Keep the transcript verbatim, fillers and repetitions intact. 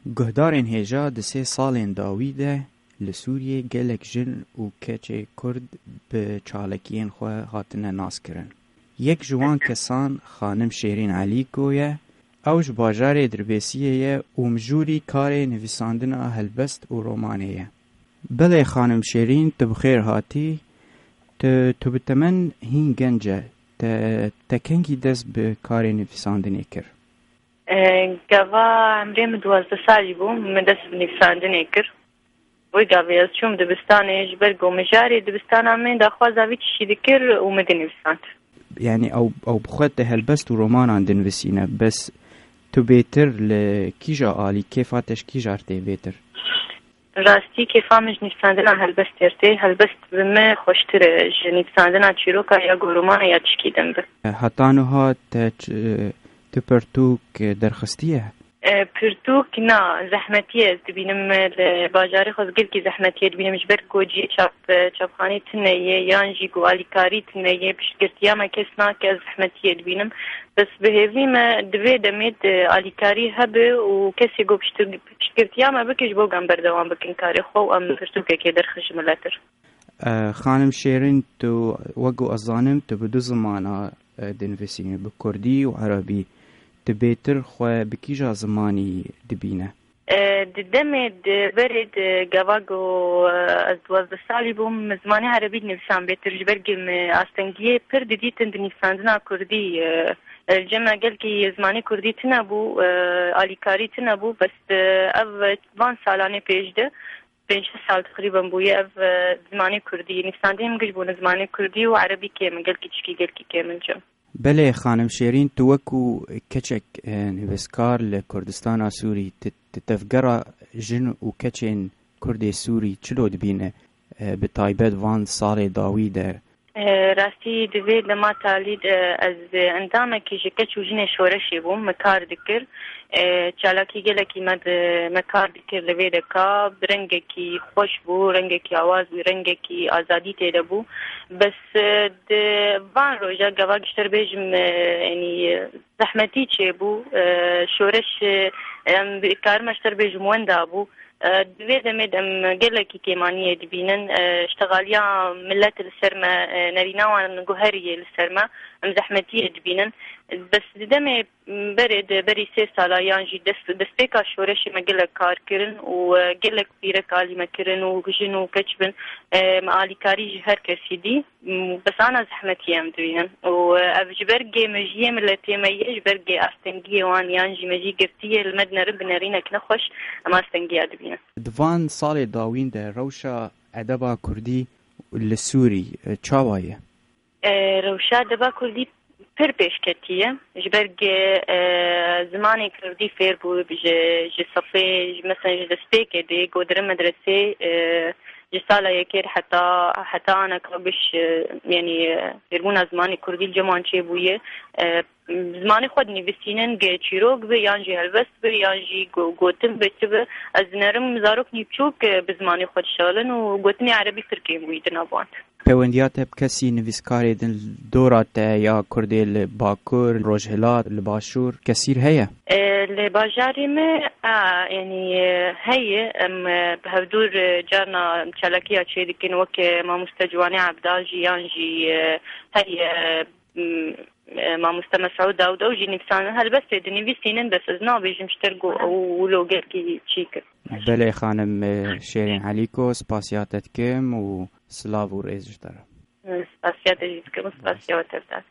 Guhdarên hêja di sê salên dawî de li Sûriyê gelek jin û keçê Kurd bi çalakiyên xwe hatine naskirin. Yek ji wan kesan xanim Şêrîn Elîko ye. Ew ji bajarê Dirbêsiyê ye û mijûrî karê nivîsandina helbest û romanê ye. Belê xanim Şêrîn, tu bi xêr hatî. Tu, tu bi temen hîn genc e. Te, te kengî dest bi karê nivîsandinê kir? E, gava emrê min duwazdeh salî bû, min dest bi nivîsandinê kir. Wê gavê ez çûm dibistanê, ji ber ku mijarê dibistana min daxwaza vî tiştî dikir û min dinivîsand. Yani ew, ew bi xwe te helbest û romanan dinivîsîne, bes tu bêtir li kîja alî, kêfa te ji kîja tê bêtir? Rastî kêfa min ji nivîsandina helbestê tê. Helbest bi min xweştir e ji nivîsandina çîroka ya ku romana ya tişkî din bi. Heta niha te ç-, tu pirtûk derxistiye? E, pirtûk na, zehmetî ye ez dibînim, e, li bajarê xwe ez gelkî zehmetiyê dibînim, ji ber ku cihê çap, e, çapxanê tune ye, yan jî ku alîkarî tune ye, piştgirtiya me kes nake, ez zehmetiyê dibînim. Bes bi hêvî me di vê demê de alîkarî hebe û kesê ku pişt-, piştgirtiya me bike ji bo ku em berdewam bikin karê xwe û em pirtûkekê derxin ji miletir. E, Xanim Şêrin, tu, wek ku ez zanim, tu bi du zimana, e, dinivîsînî, bi kurdî û erebî. Tu bêtir xwe bi kîja zimanî dibîne? E, di demê di berê di gava ku, e, ez duwazdeh salî bûm, min zimanê erebî dinivîsan bêtir, ji ber ku min astengiyê pir didîtin di nivîsandina kurdî, e, e, li cem me gelkî zimanê kurdî tune bû, e, alîkarî tune bû, bes, e, ev van salanê pêş de, pênc sal teqrîben bûye ev, e, zimanê kurdî, nivîsandinê min giş bûne zimanê kurdî û erebî kêm in, gelkî tişkî gelkî kêm in cem. Belê, xanim Şêrîn, tu wekû keçek, e, nivîskar li Kurdistana Sûrî, tu, tu tevgera jin û keçên Kurdê Sûrî çilo dibîne, e, bi taybet van salê dawî de? E, rastî di vê dema talî de ez endamekî ji keç û jinê şoreşê bûm, me kar dikir. E, çalakî gelekî me di, me kar dikir li vê deka, bi rengekî xweş bû, rengekî awaz bû, rengekî azadî tê de bû. Bes, e, di van roja gava giştir bêjim, e, yanî, e, zehmetî çêbû, e, şoreş, e, em karime ji te bêjim wenda bû. E, di vê demê de em gelekî kêmaniyê dibînin. E, ştexaliya milet li ser me, e, nerîna wan guheriyê li ser me, em zehmetiyê dibînin. Bes di demê berê de berî sê sala yan jî dest, destpêka şoreşê me gelek kar kirin û, e, gelek pîrek alî me kirin û jin û keç bin, e, me alîkarî ji her kesî dî. Bes ana zehmetî em dibînin. Û, e, ev ji ber gê mejiyê miletê me ye, ji ber gê astengiyê wan yan jî mejî girtiyê li me dinerin bi nerînek nexweş, em astengiya dibînin. Di van salê dawîn de rewşa edeba kurdî li Sûrî, e, çawa ye? E, rewşa edeba kurdî pir pêşketî ye. Ji ber gê, e, zimanê kurdî fêr bû ji, ji sifê, ji, mesela ji destpêkê dê, ku dirin medresê, e, ji sala yekê heta, heta aneka giş, e, yanî, e, fêrbûna zimanê kurdî li cem wan çêbûye. E, zimanê xwe dinivîsînin, gê çîrok be, yan jî helbest be, yan jî go-, gotin be, çi be. Ez dinerim zaroknî biçûk, e, bi zimanê xwe dişixilin û gotinê erebî pir kêm bûyî di nav wan. Pêwendiya te bi kesî nivîskarê din li dora te ya Kurdê li Bakur, Rojhilat, li Başûr kesîr heye? E, li bajarê me, a, yanî, e, heye. Em, e, bi hevdûr, e, carna çalakiya çêdikin, weke mamoste Ciwanê Ebdal jî, yan jî, e, heye, m, e, mamoste Mesûd Dawud, ew jî nivîsandin. Helbestê dinivîsînin, bes ez nabêjim ji ter ku ew wilo gelkî çîk in. Belê xanim, e, Şêrîn Elîko, spasiya te dikim û silav û rêz ji te re. Spasiya te jî dikim û spasiya we tev dikim.